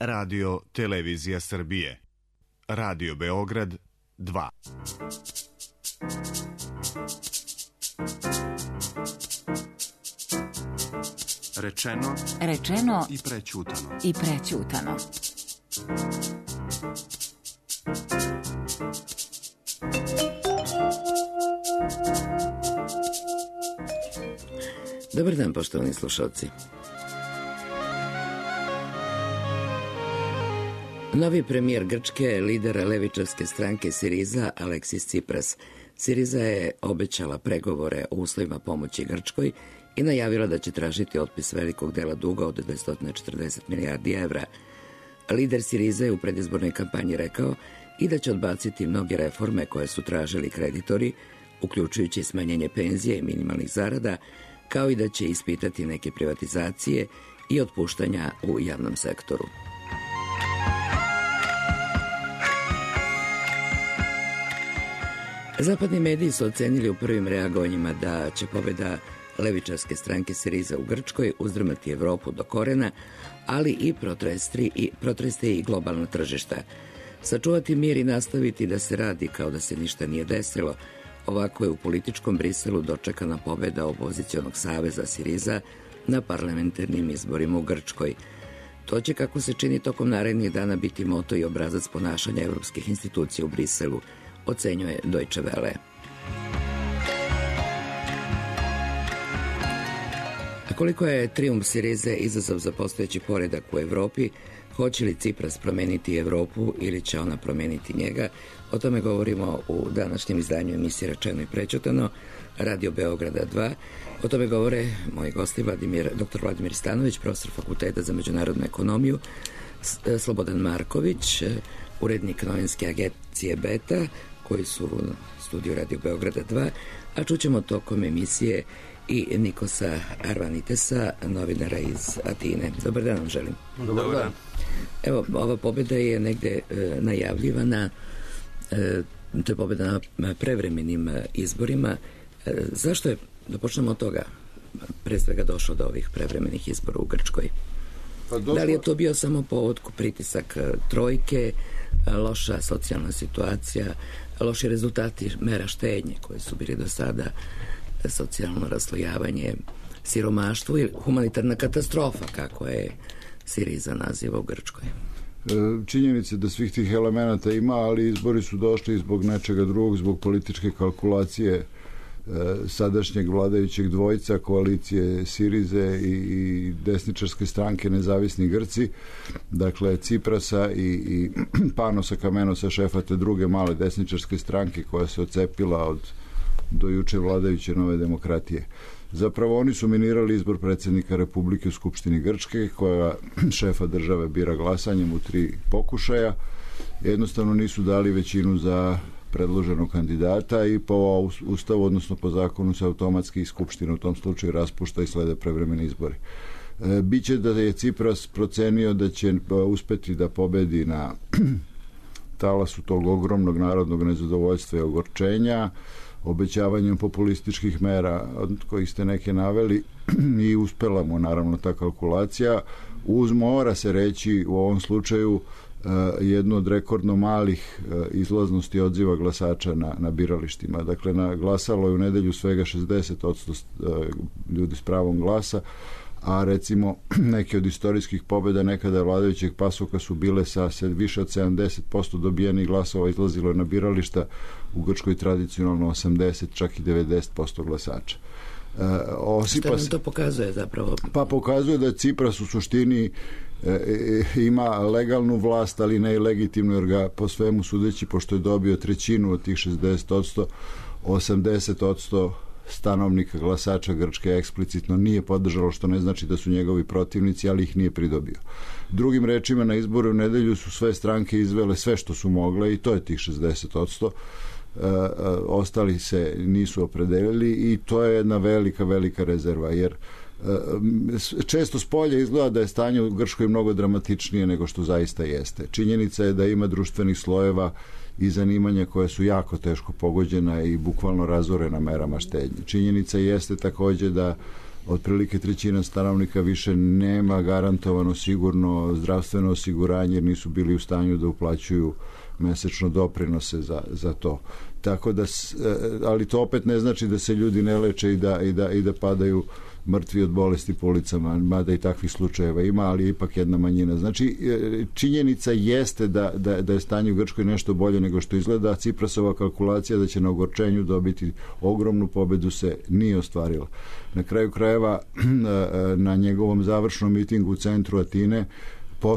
Radio Televizija Srbije. Radio Beograd 2. Rečeno i prećutano. Dobar dan, poštovani slušalci. Novi premijer Grčke, lider levičarske stranke Siriza, Aleksis Tsipras. Siriza je obećala pregovore o uslovima pomoći Grčkoj i najavila da će tražiti otpis velikog dela duga od 240 milijardi evra. Lider Siriza je u predizbornoj kampanji rekao i da će odbaciti mnoge reforme koje su tražili kreditori, uključujući smanjenje penzije i minimalnih zarada, kao i da će ispitati neke privatizacije i otpuštanja u javnom sektoru. Zapadni mediji su ocenili u prvim reagovanjima da će pobeda levičarske stranke Siriza u Grčkoj uzdrmati Evropu do korena, ali i protresti i globalno tržišta. Sačuvati mir i nastaviti da se radi kao da se ništa nije desilo. Ovako je u političkom Briselu dočekana pobeda opozicionog saveza Siriza na parlamentarnim izborima u Grčkoj. To će, kako se čini, tokom narednih dana biti moto i obrazac ponašanja evropskih institucija u Briselu, ocenjuje Deutsche Welle. A koliko je trijumf Sirize izazov za postojeći poredak u Evropi, hoće li Tsipras promeniti Evropu ili će ona promeniti njega, o tome govorimo u današnjem izdanju emisije Rečeno i prećutano, Radio Beograda 2. O tome govore moji gosti dr. Vladimir Stanović, profesor Fakulteta za međunarodnu ekonomiju, Slobodan Marković, urednik novinske agencije Beta, koji su u studiju Radio Beograda 2, a čućemo tokom emisije i Nikosa Arvanitesa, novinara iz Atine. Dobar dan vam želim. Dobar dan. Evo, ova pobjeda je negde najavljivana, to je pobjeda na prevremenim izborima. Zašto je, da počnemo od toga, pre svega došlo do ovih prevremenih izbora u Grčkoj? Da li je to bio samo povod pritisak trojke, loša socijalna situacija, loši rezultati mera štednje koje su bili do sada, socijalno raslojavanje, siromaštvo ili humanitarna katastrofa, kako je Siriza naziva u Grčkoj? Činjenica da svih tih elemenata ima, ali izbori su došli zbog nečega drugog, zbog političke kalkulacije sadašnjeg vladajućeg dvojca, koalicije Sirize i desničarske stranke Nezavisni Grci, dakle Tsiprasa i Panosa Kamenosa, šefa te druge male desničarske stranke koja se ocepila od do juče vladajuće Nove demokratije. Zapravo oni su minirali izbor predsjednika Republike u Skupštini Grčke, koja šefa države bira glasanjem u 3 pokušaja. Jednostavno nisu dali većinu za predloženog kandidata i po ustavu, odnosno po zakonu, se automatski iz Skupštine u tom slučaju raspušta i slede prevremeni izbori. Biće da je Tsipras procenio da će uspeti da pobedi na talasu tog ogromnog narodnog nezadovoljstva i ogorčenja, obećavanjem populističkih mera od kojih ste neke naveli, i uspela mu naravno ta kalkulacija, mora se reći u ovom slučaju jedno od rekordno malih izlaznosti odziva glasača na biralištima. Dakle, glasalo je u nedelju svega 60% ljudi s pravom glasa, a recimo neke od istorijskih pobjeda nekada vladajućeg PASOK-a su bile sa više od 70% dobijenih glasova, izlazilo je na birališta, u Grčkoj tradicionalno 80, čak i 90% glasača. Šta nam to pokazuje zapravo? Pa pokazuje da Tsipras u suštini ima legalnu vlast, ali ne i legitimnu, jer ga po svemu sudeći, pošto je dobio trećinu od tih 60%, 80% stanovnika glasača Grčke eksplicitno nije podržalo, što ne znači da su njegovi protivnici, ali ih nije pridobio. Drugim rečima, na izboru u nedelju su sve stranke izvele sve što su mogle i to je tih 60%. Ostali se nisu opredelili i to je jedna velika rezerva, jer često s polja izgleda da je stanje u Grčkoj mnogo dramatičnije nego što zaista jeste. Činjenica je da ima društvenih slojeva i zanimanja koja su jako teško pogođena i bukvalno razorena merama štednje. Činjenica jeste takođe da otprilike 1/3 stanovnika više nema garantovano sigurno zdravstveno osiguranje jer nisu bili u stanju da uplaćuju mesečno doprinose za to. Tako da, ali to opet ne znači da se ljudi ne leče i da padaju mrtvi od bolesti po ulicama, mada i takvih slučajeva ima, ali je ipak jedna manjina. Znači, činjenica jeste da je stanje u Grčkoj nešto bolje nego što izgleda. Ciprasova kalkulacija da će na ogorčenju dobiti ogromnu pobedu se nije ostvarila. Na kraju krajeva, na njegovom završnom mitingu u centru Atine,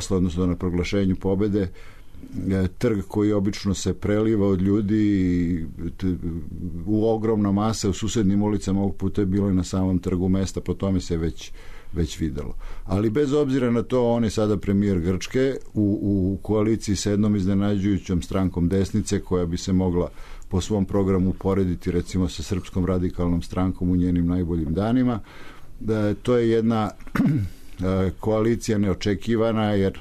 odnosno na proglašenju pobede, trg koji obično se preliva od ljudi u ogromna masa u susednim ulicama, ovog puta je bilo i na samom trgu mesta, po tome se već videlo. Ali bez obzira na to, on je sada premijer Grčke u koaliciji sa jednom iznenađujućom strankom desnice koja bi se mogla po svom programu porediti recimo sa Srpskom radikalnom strankom u njenim najboljim danima. To je jedna koalicija neočekivana jer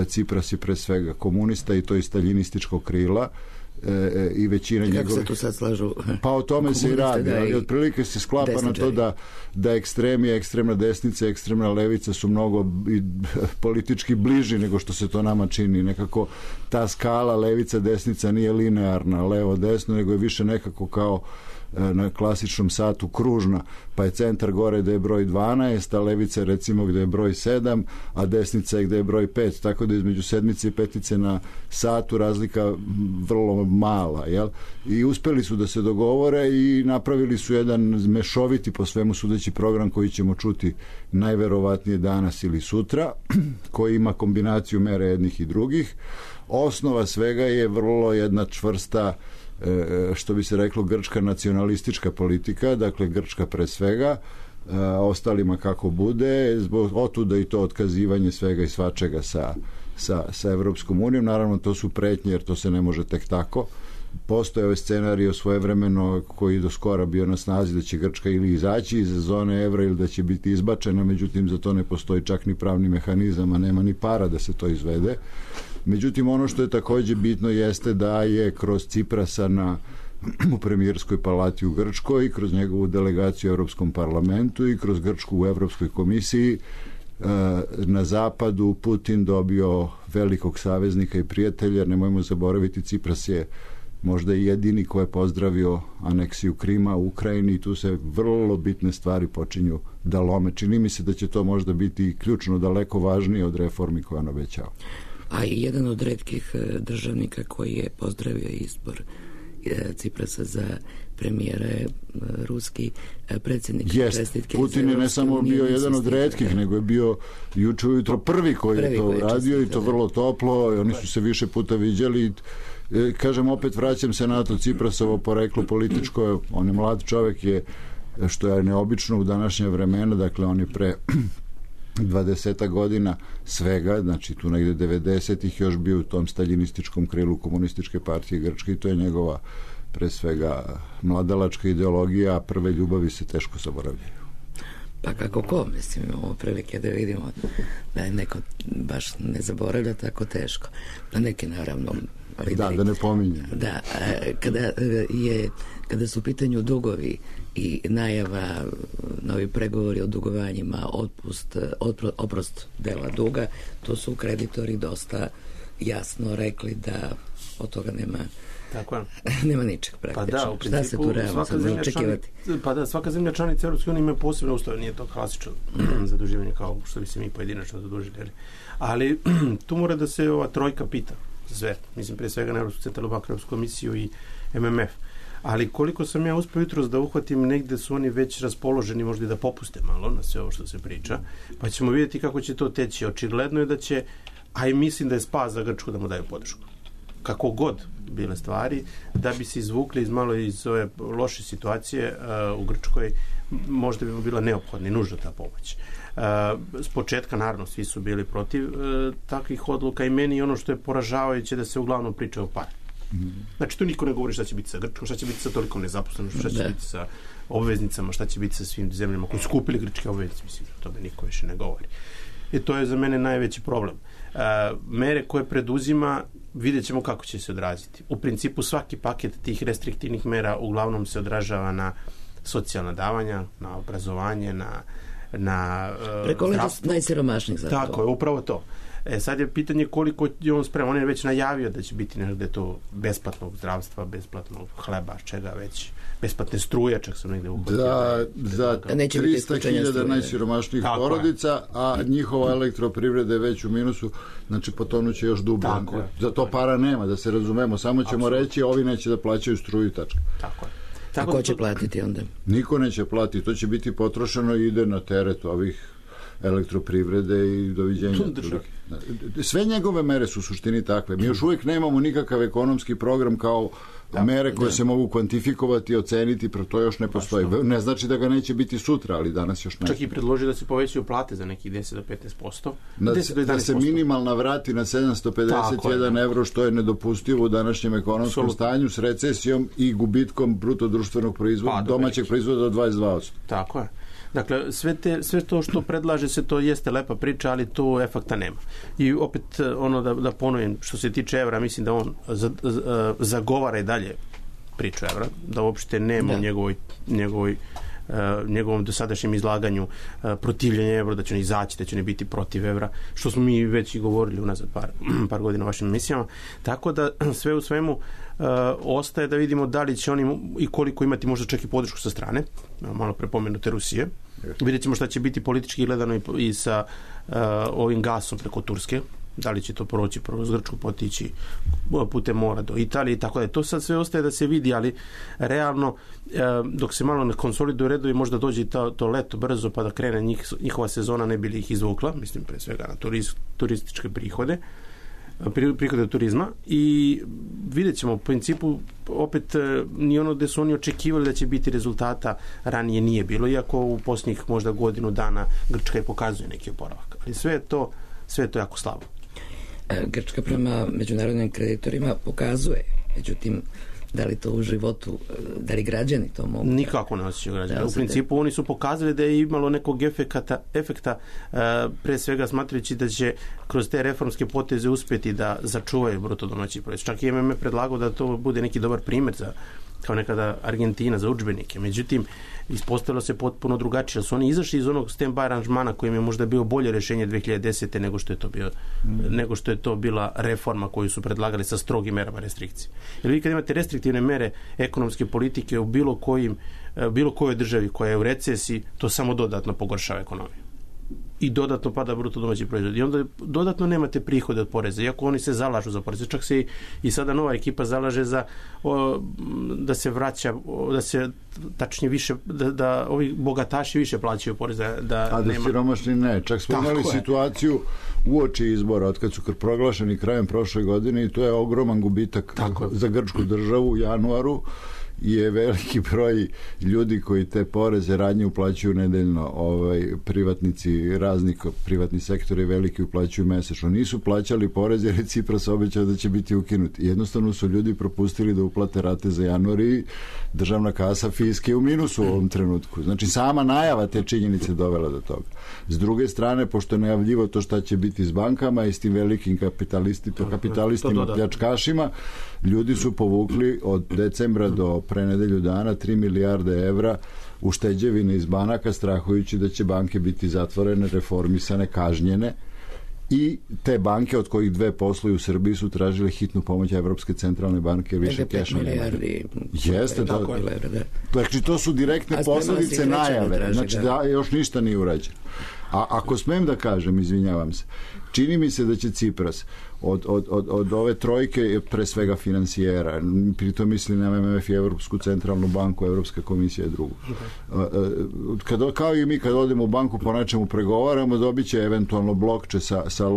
Cipras je pre svega komunista i to iz staljinističkog krila i većina njegovih... Kako se tu sad slažu? Pa o tome se i radi, ali otprilike se sklapa na to da ekstremi, ekstremna desnica, ekstremna levica su mnogo politički bliži nego što se to nama čini. Nekako ta skala levica, desnica nije linearna, levo, desno, nego je više nekako kao na klasičnom satu kružna, pa je centar gore gde je broj 12, a levica recimo gde je broj 7, a desnica je gde je broj 5, tako da između sedmice i petice na satu razlika vrlo mala, jel? I uspeli su da se dogovore i napravili su jedan mešoviti po svemu sudeći program koji ćemo čuti najverovatnije danas ili sutra, koji ima kombinaciju mera jednih i drugih. Osnova svega je vrlo jedna čvrsta, što bi se reklo, grčka nacionalistička politika, dakle Grčka pre svega, ostalima kako bude, zbog otuda i to otkazivanje svega i svačega sa Evropskom unijom. Naravno, to su pretnje, jer to se ne može tek tako. Postoje ovaj scenarij svojevremeno koji do skora bio na snazi da će Grčka ili izaći iz zone evra ili da će biti izbačena, međutim za to ne postoji čak ni pravni mehanizam, a nema ni para da se to izvede. Međutim, ono što je takođe bitno jeste da je kroz Ciprasa u premijerskoj palati u Grčkoj, kroz njegovu delegaciju u Evropskom parlamentu i kroz Grčku u Evropskoj komisiji na zapadu Putin dobio velikog saveznika i prijatelja. Nemojmo zaboraviti, Cipras je možda i jedini ko je pozdravio aneksiju Krima u Ukrajini i tu se vrlo bitne stvari počinju da lome. Čini mi se da će to možda biti ključno daleko važnije od reformi koje on obećao. A i jedan od retkih državnika koji je pozdravio izbor Ciprasa za premijera je ruski predsjednik. Čestitke. Putin je ne samo bio jedan od retkih, nego je bio juče ujutro prvi koji je to radio i to vrlo toplo i oni su se više puta viđali. Kažem, opet vraćam se na to, Ciprasovo poreklo političko, on je mlad čovek, je, što je neobično u današnje vremena, dakle on je pre 20 godina svega, znači tu negde 90-ih još bio u tom staljinističkom krilu komunističke partije Grčke i to je njegova pre svega mladalačka ideologija, a prve ljubavi se teško zaboravljaju. Pa kako ko, mislim, imamo prilike da vidimo da je neko baš ne zaboravlja tako teško. Da neki naravno... Da ne pominjem. Da, kada su u pitanju dugovi i najava, novi pregovori o dugovanjima, oprost dela duga, to su kreditori dosta jasno rekli da od toga nema ničeg praktično. Pa da, u principu, šta se tu realno sad može očekivati? Pa da, svaka zemlja članica Evropske unije ima posebno ustav, nije to klasično zaduživanje kao što bi se mi pojedinačno zadužili. Ali tu mora da se ova trojka pita sve, mislim pre svega na Evropsku centralnu banku, Evropsku komisiju i MMF. Ali koliko sam ja uspio jutros da uhvatim, negde su oni već raspoloženi možda i da popuste malo na sve ovo što se priča, pa ćemo vidjeti kako će to teći. Očigledno je da će, a i mislim da je spas za Grčku da mu daju podršku. Kako god bile stvari, da bi se izvukli iz ove loše situacije u Grčkoj, možda bi mu bila neophodna i nužna ta pomoć. S početka, naravno, svi su bili protiv takvih odluka i meni ono što je poražavajuće da se uglavnom priča o pare. Znači, tu niko ne govori šta će biti sa Grčkom, šta će biti sa tolikom nezaposlenošću, šta će biti sa obveznicama, šta će biti sa svim zemljama koji su kupili grčke obveznice, mislim, to da niko više ne govori. I to je za mene najveći problem. Mere koje preduzima, vidjet ćemo kako će se odraziti. U principu svaki paket tih restriktivnih mera uglavnom se odražava na socijalna davanja, na obrazovanje, na preko najsiromašnijih zapravo. Tako je, upravo to. Sad je pitanje koliko je on spreman. On je već najavio da će biti negde to besplatnog zdravstva, besplatnog hleba, čega već, besplatne struje, čak sam negde uhvatio. Za 300.000 najsiromašnijih porodica, a njihova elektroprivreda je već u minusu, znači potonuće još dublje. Za to para nema, da se razumemo, samo ćemo reći ovi neće da plaćaju struju, tačka. Tako je. A ko će platiti onda? Niko neće platiti, to će biti potrošeno i ide na teret ovih elektroprivrede i doviđenja. Sve njegove mere su u suštini takve. Mi još uvijek nemamo nikakav ekonomski program kao mere koje se mogu kvantifikovati, oceniti, to još ne postoji. Ne znači da ga neće biti sutra, ali danas još ne. Čak i predloži da se povećaju plate za nekih 10 do 15%. Da se minimalna vrati na 751 evro, što je nedopustivo u današnjem ekonomskom stanju s recesijom i gubitkom bruto društvenog proizvoda, domaćeg proizvoda od 22%. Tako je. Dakle, sve to što predlaže se, to jeste lepa priča, ali to efekta nema. I opet, da ponovim, što se tiče evra, mislim da on zagovara i dalje priču evra, da uopšte nema u njegovom dosadašnjem izlaganju protivljenja evra, da će on izaći, da će ne biti protiv evra, što smo mi već i govorili unazad par godina u vašim emisijama. Tako da sve u svemu ostaje da vidimo da li će oni i koliko imati možda čak i podršku sa strane, malo prepomenute Rusije. Vidjet ćemo šta će biti politički gledano i sa ovim gasom preko Turske, da li će to proći kroz Grčku, potići putem mora do Italije i tako da. To sad sve ostaje da se vidi, ali realno dok se malo ne konsoliduje redovi, možda dođe i to leto brzo pa da krene njihova sezona, ne bi li ih izvukla, mislim pre svega na turističke prihode od turizma, i vidjet ćemo, u principu opet ni ono gde su oni očekivali da će biti rezultata ranije nije bilo, iako u posljednjih možda godinu dana Grčka je pokazuje neki oporavak, ali sve je to jako slabo. Grčka prema međunarodnim kreditorima pokazuje, međutim da li to u životu, da li građani to mogu? Nikako ne osjećaju građani. U principu oni su pokazali da je imalo nekog efekta, pre svega smatrajući da će kroz te reformske poteze uspjeti da začuvaju bruto domaći proizvod. Čak i MMF predlagao da to bude neki dobar primjer kao nekada Argentina za udžbenike. Međutim, ispostavilo se potpuno drugačije. Su oni izašli iz onog stand-by aranžmana kojim je možda bio bolje rješenje 2010. nego što je to bila reforma koju su predlagali sa strogim merama restrikcije. Jer vi kad imate restriktivne mere ekonomske politike u bilo kojoj državi koja je u recesiji, to samo dodatno pogoršava ekonomiju. I dodatno pada bruto domaći proizvod. I onda dodatno nemate prihode od poreza, iako oni se zalažu za poreze. Čak se i sada nova ekipa zalaže da se vraća, da se tačnije više, da ovi bogataši više plaćaju poreze. A da siromašni ne. Čak smo imali situaciju uoči izbora, od kad su proglašeni krajem prošle godine, i to je ogroman gubitak za grčku državu u januaru. Je veliki broj ljudi koji te poreze radnje uplaćuju nedeljno, privatnici, razni privatni sektori veliki uplaćuju mesečno. Nisu plaćali poreze jer je Cipras obećao da će biti ukinuti. Jednostavno su ljudi propustili da uplate rate za januar i državna kasa fiske u minusu u ovom trenutku. Znači sama najava te činjenice dovela do toga. S druge strane, pošto je najavljivo to šta će biti s bankama i s tim velikim kapitalistima, pljačkašima, ljudi su povukli od decembra do pre nedelju dana 3 milijarde evra ušteđevine iz banaka, strahujući da će banke biti zatvorene, reformisane, kažnjene, i te banke, od kojih 2 posluju u Srbiji, su tražile hitnu pomoć Evropske centralne banke, više keša nema. Jeste, znači to su direktne posljedice najave, znači da još ništa nije urađeno. A ako smem da kažem, izvinjavam se, čini mi se da će Cipras od ove trojke, pre svega finansijera, pritom mislim na MMF i Evropsku centralnu banku, Evropska komisija je drugo. Kao i mi kad odemo u banku po nečemu pregovaramo, dobit će eventualno blokče sa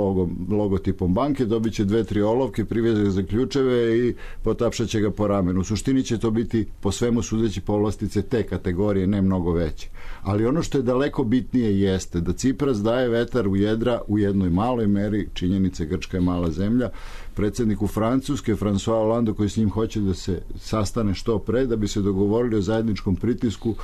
logotipom banke, dobit će 2-3 olovke, priveze za ključeve i potapšat će ga po ramenu. U suštini će to biti po svemu sudeći povlastice te kategorije, ne mnogo veće. Ali ono što je daleko bitnije jeste da Cipras daje vetar u jedra u jednoj maloj meri, činjenice, Grčka je mala zemlja, predsjedniku Francuske, François Hollande, koji s njim hoće da se sastane što pre, da bi se dogovorili o zajedničkom pritisku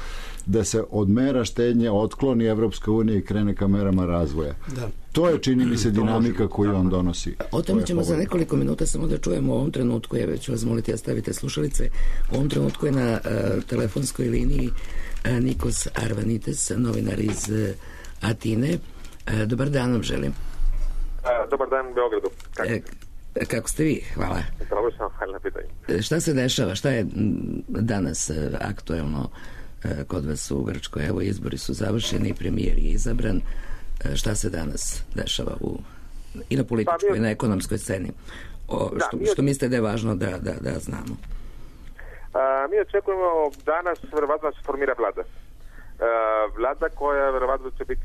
da se od mera štednje otkloni Evropska unija i krene ka merama razvoja. Da. To je, čini mi se, dinamika koju on donosi. O tome ćemo za nekoliko minuta samo da čujemo. U ovom trenutku, ja ću vas moliti da stavite slušalice, u ovom trenutku je na telefonskoj liniji Nikos Arvanites, novinar iz Atine. Dobar dan vam želim. Dobar dan u Beogradu. Kako ste vi? Hvala. Dobro sam, hvala na pitanju. Šta se dešava? Šta je danas aktuelno kod vas u Grčkoj? Evo, izbori su završeni, premijer je izabran. Šta se danas dešava i na političkoj i na ekonomskoj sceni? Što mislite da je važno da znamo? Mi očekujemo danas verovatno da se formira vlada. Vlada koja verovatno će biti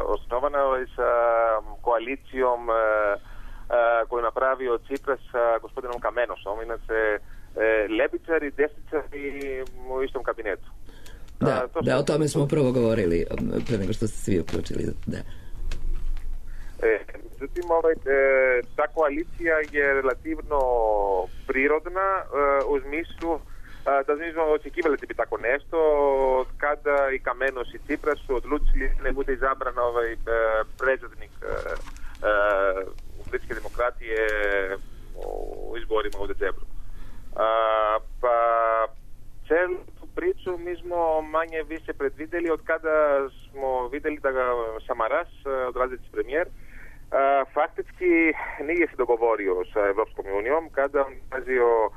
osnovana sa koalicijom koju napravio Cipras sa gospodinom Kamenosom. Inače, levičari, desničari u istom kabinetu. Da, o tome smo upravo govorili pre nego što ste svi uključili. Da. Međutim, ta koalicija je relativno prirodna u smislu da nismo očekivali da bi tako nešto kada i Kamenos i Cipras su odlučili da ne bude izabran predsjednik Grčke demokratije u izborima u decembru. Pa celu tu priču mi smo manje više predvideli od kada smo vidjeli da ga Samaras, odlazeći premijer, faktički nije se dogovorio sa Evropskom unijom kada on tražio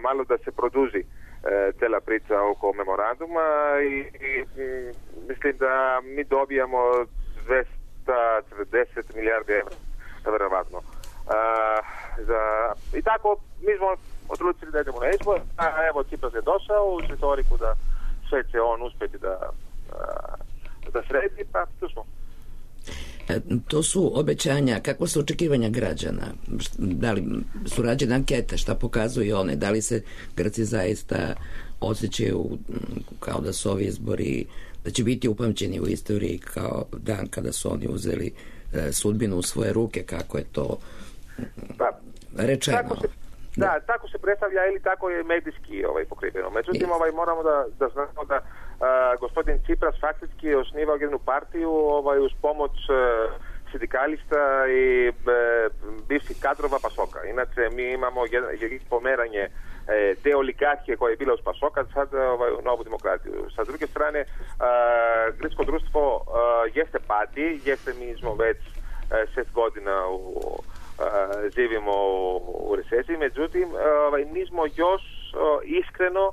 malo da se produži cela priča oko memoranduma i mislim da mi dobijamo 240 milijardi evra, verovatno. I tako mi smo odlučili da idemo na izbor, a evo Cipras je došao u retoriku da sve će on uspjeti da sredi, pa tu smo. To su obećanja, kakva su očekivanja građana? Da li su rađene ankete, šta pokazuju one? Da li se Grci zaista osjećaju kao da su ovi izbori, da će biti upamćeni u istoriji kao dan kada su oni uzeli sudbinu u svoje ruke, kako je to rečeno? Tako se predstavlja ili tako je medijski pokriveno. Međutim, moramo da znamo da gospodin Cipras faktički je osnivao jednu partiju uz pomoć sindikalista i bivših kadrova Pasoka. Inače, mi imamo pomeranje te oligarhije koja je bila uz Pasoka sad u novu demokratiju. Sa druge strane, grčko društvo jeste pati, mi smo već 6 godina živimo u recesiji, međutim nismo još iskreno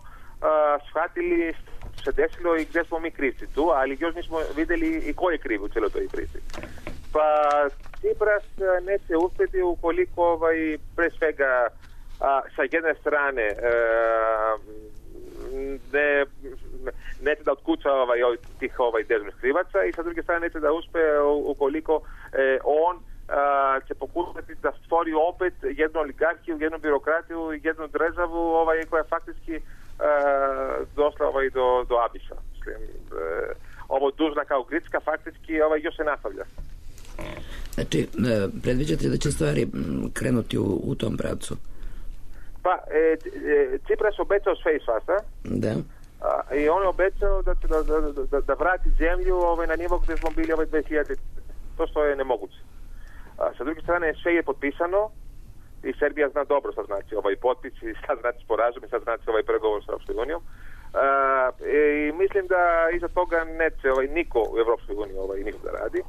shvatili što se desilo i gdje smo mi krivci tu, ali još nismo vidjeli i ko je kriv u cijeloj toj priči. Pa Cipras neće uspjeti ukoliko pre svega sa jedne strane neće da otkuća tih dežurnih krivaca i sa druge strane neće da uspe ukoliko on će pokušati da stvori opet jednu oligarhiju, jednu birokratiju, jednu državu koja faktički došla do abisa. Ovo dužna kao Grčka faktički još se nastavlja. Znači, predviđate da će stvari krenuti u tom pravcu? Pa, Cipras obećao sve i svašta. Da. I on je obećao da će da vrati zemlju na nivo gdje smo bili 2000. To što je nemoguće. Sa druge strane, sve je potpisano i Serbija zna dobro šta znači potpis i šta znači sporazum i šta znači pregovor sa Europskoj unijom. I mislim da iza toga neće niko u Europskoj uniji niko da radi.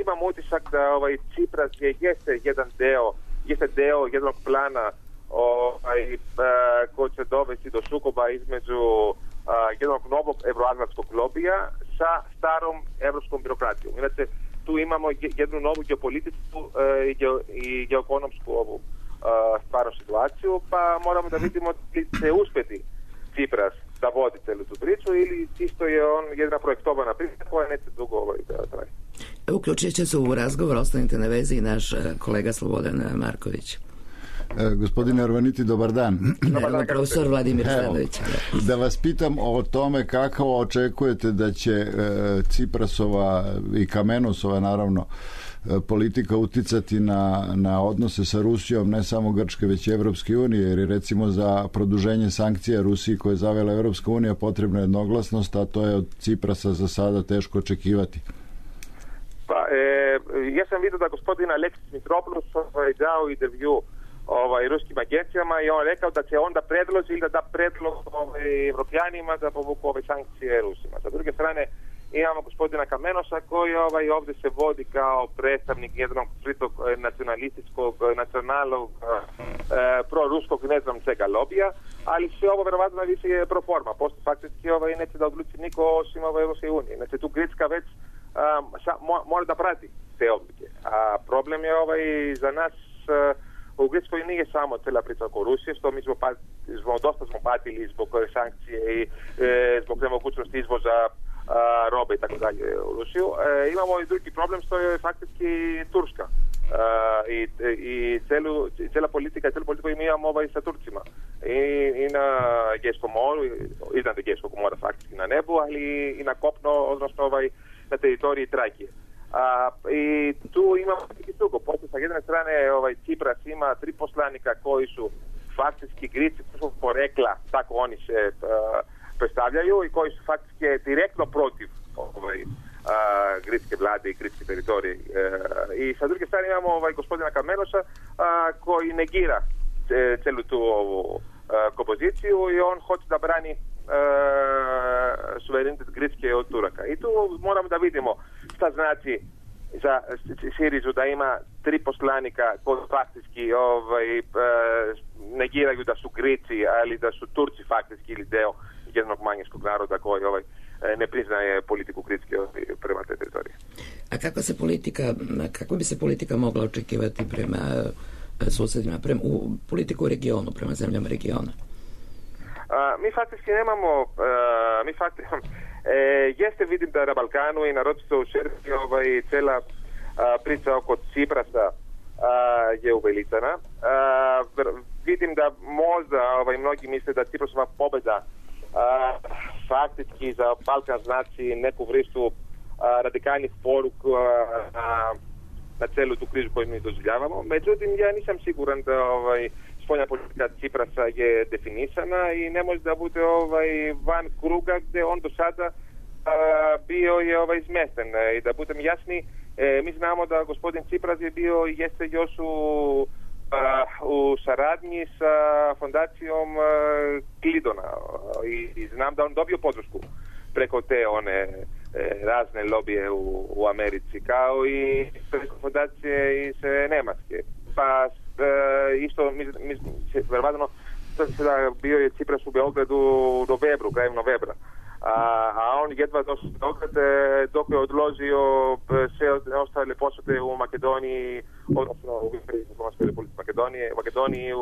Imam utisak da Cipras jeste deo jednog plana koji će dovesti do sukoba između jednog novog evroatlantskog lobija sa starom evropskom birokratijom. Inače, tu imamo jednu novu geopolitičku i geoekonomsku stvarnu situaciju, pa moramo da vidimo li će uspjeti Cipras da vodi celu tu priču ili čisto je on jedna projektovana priča koja neće dugo da traje. Uključit će se u razgovor, ostanite na vezi, naš kolega Slobodan Marković. Gospodine Arvaniti, dobar dan. Profesor Vladimir Stanović. Da vas pitam o tome kako očekujete da će Ciprasova i Kamenosova naravno politika uticati na odnose sa Rusijom, ne samo Grčke, već i Evropske unije, jer je recimo za produženje sankcija Rusiji koje je zavela Evropska unija potrebna jednoglasnost, a to je od Ciprasa za sada teško očekivati. Pa, ja sam vidio da gospodin Aleksis Mitropoulos dao intervju ruskim agencijama i on rekao da će onda predloži ili da da predlog Evropljanima da povuku sankcije Rusima. Sa druge strane imamo gospodina Kamenosa koji ovdje se vodi kao predstavnik jednog skritog nacionalističkog, nacionalnog, proruskog, ne znam čega lobija, ali sve ovo verovatno više je pro forma. Posto faktički neće da odluči niko osim Evropske unije. Znači tu Grčka već mora da prati te odluke. A problem je za nas u Grčkoj nije samo cela priča oko Rusije, što mi dosta smo patili zbog sankcije i zbog nemogućnosti izvoza robe i tako dalje u Rusiju. Imamo i drugi problem što je faktički Turska i cela politika koju mi imamo sa Turcima i na Egejskom moru, iznad Egejskog mora faktički na nebu, ali i na kopno, odnosno na teritoriji Trakije. I tu imamo neki drugo. Pošto sa jedne strane Cipras ima 3 poslanika koji su faktički Grici porekla, tako oni se predstavljaju i koji su faktički direktno protiv gritske vlade i gritske teritorije. I sa druge strane imamo gospodina Kamenosa koji negira celu tu ovu kompoziciju i on hoće da brani suverenitet Grčke od Turaka. I tu moramo da vidimo šta znači za Sirizu da ima 3 poslanika koji faktički negiraju da su Grici, ali da su Turci faktički ili deo jednog manjinskog naroda koji ne priznaje politiku Grčke prema te teritorije. A kako bi se politika mogla očekivati prema susedima, politiku u regionu, prema zemljama regiona? Mi faktički nemamo, jeste vidim da na Balkanu i naročito u Srbiji cela priča oko Ciprasa je uveličana. Vidim da možda mnogi misle da Ciprasova pobeda faktički za Balkan znači neku vrstu radikalnih poruka na celu tu krizu koju mi doživljavamo. Međutim, ja nisam siguran da spoljna politika Ciprasa je definisana i ne može da bude van kruga gde on do sada bio je izmešten. I da budem jasni, mi znamo da gospodin Cipras je bio i jeste još u saradnji sa fondacijom Klidona i znam da on dobio podršku preko te one razne lobije u Americi, kao i preko fondacije iz Nemačke. Pa isto, verovatno, bio je Cipras u Beogradu u novembru, krajem novembra. A on jedva došao do Beograda dok je odložio sve ostale posete u Makedoniji, odnosno u Republici Makedoniji,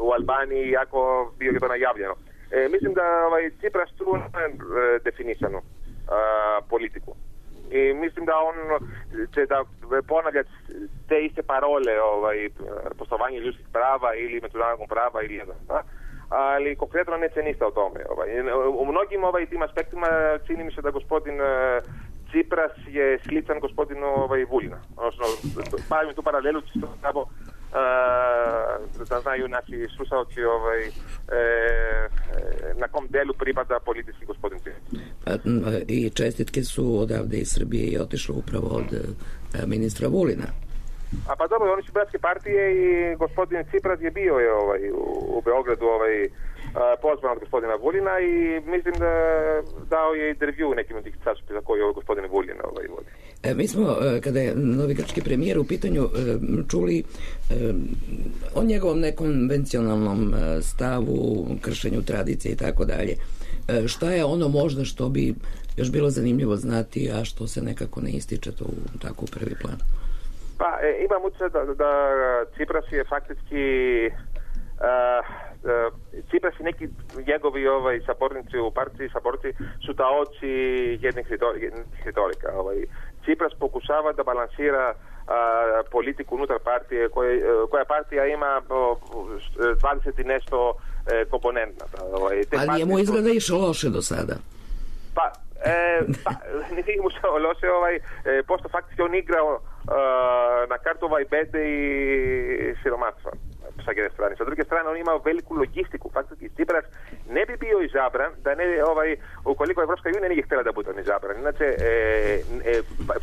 u Albaniji, iako bio je to najavljeno. Mislim da Cipras tu definisanu politiku. I mislim da on će da ponavlja te iste parole poštovanje ljudskih prava ili međunarodnog prava ili jedan. Ali konkretno neće ništa o tome. U mnogim tim aspektima čini mi se da gospodin Cipras je sličan gospodinu Vulina. Odnosno, stavim tu paralelu čisto samo da znaju naši slušalci na kom delu pripada politički gospodin Cipras. I čestitke su odavde iz Srbije i otišlo upravo od ministra Vulina. A pa dobro, oni su bratske partije i gospodin Cipras je bio u Beogradu pozvan od gospodina Vulina i mislim da dao je intervju nekim od tih časopisa koji je gospodin Vulin vodi. Mi smo, kada je novi grčki premijer u pitanju, čuli o njegovom nekonvencionalnom stavu, kršenju tradicije i tako dalje. Šta je ono možda što bi još bilo zanimljivo znati, a što se nekako ne ističe to tako u prvi plan? Pa, imam utisak da Cipras je faktički Cipras i neki njegovi sabornici u partiji, saborci su taoci jednih retorika. Cipras pokušava da balansira politiku unutar partije koja partija ima 20 i nešto komponenta. Ali njemu izgleda išlo loše do sada. Pa, nije mu se loše, pošto faktički on igrao na kartu bede i siromaštva sa jedne strane. Sa druge strane, on imao veliku logistiku. Faktički Cipras ne bi bio izabran da ne, ukoliko Evropska unija nije htjela da bude izabran. Inače,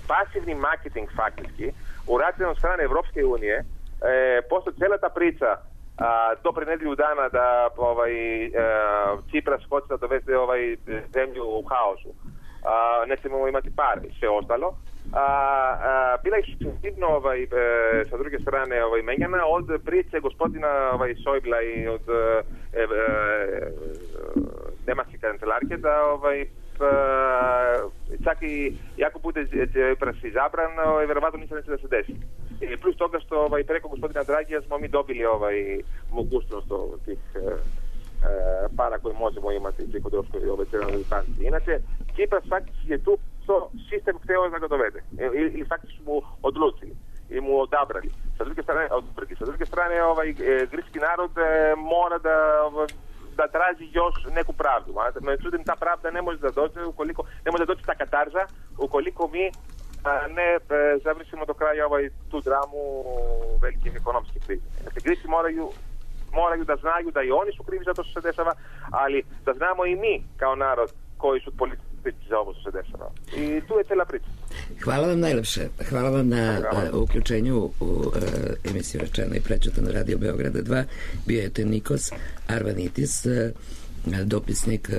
pasivni marketing faktički urađen od strane Evropske unije postoji cijela ta priča do pre nedelju dana da Cipras hoće da dovede zemlju u haosu. Nećemo imati pare i sve ostalo. Bila je successivno sa druge strane menjana od priče gospodina Šojbla i od nemačke kancelarke da čak i ako bude Cipras izabran, verovatno ništa neće da se desi. I plus toga što preko gospodina Dragija smo mi dobili mogućnost tih para koje možemo imati preko troškovi centralne banke. Inače, Cipras faktički je tu što sistem hteo da ga dovede. Ili faktički mu odlučili i mu odabrali. Sa druge strane, grčki narod mora da traži još neku pravdu. Međutim, ta pravda ne može da dođe ne može da dođe ta katarza ukoliko mi ne završimo do kraja tu dramu velikih ekonomskih kriza. Dakle, Grci moraju da znaju da i oni su krivi za to što se dešava, ali da znamo i mi kao narod koji su politici za ovo što se dešava. I tu je cijela priča. Hvala vam najlepše. Hvala vam na uključenju u emisiju Rečeno i prečutano Radio Beograda 2. Bio je Nikos Arvanitis, dopisnik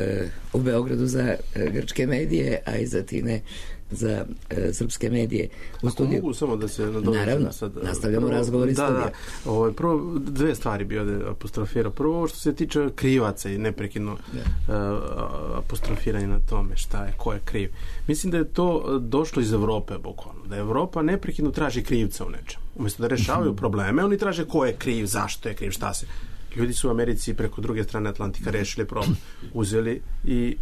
u Beogradu za grčke medije, a iz Atine za srpske medije. Mogu samo da se nadovežem. Naravno, nastavljamo razgovor iz studija. Prvo, dve stvari bi ovdje apostrofirao. Prvo, što se tiče krivaca i neprekidno apostrofiranje na tome šta je, ko je kriv. Mislim da je to došlo iz Evrope, bukvalno. Da Evropa neprekidno traži krivca u nečemu. Umjesto da rešavaju probleme, oni traže ko je kriv, zašto je kriv, šta se... Ljudi su u Americi preko druge strane Atlantika rešili problem. Uzeli i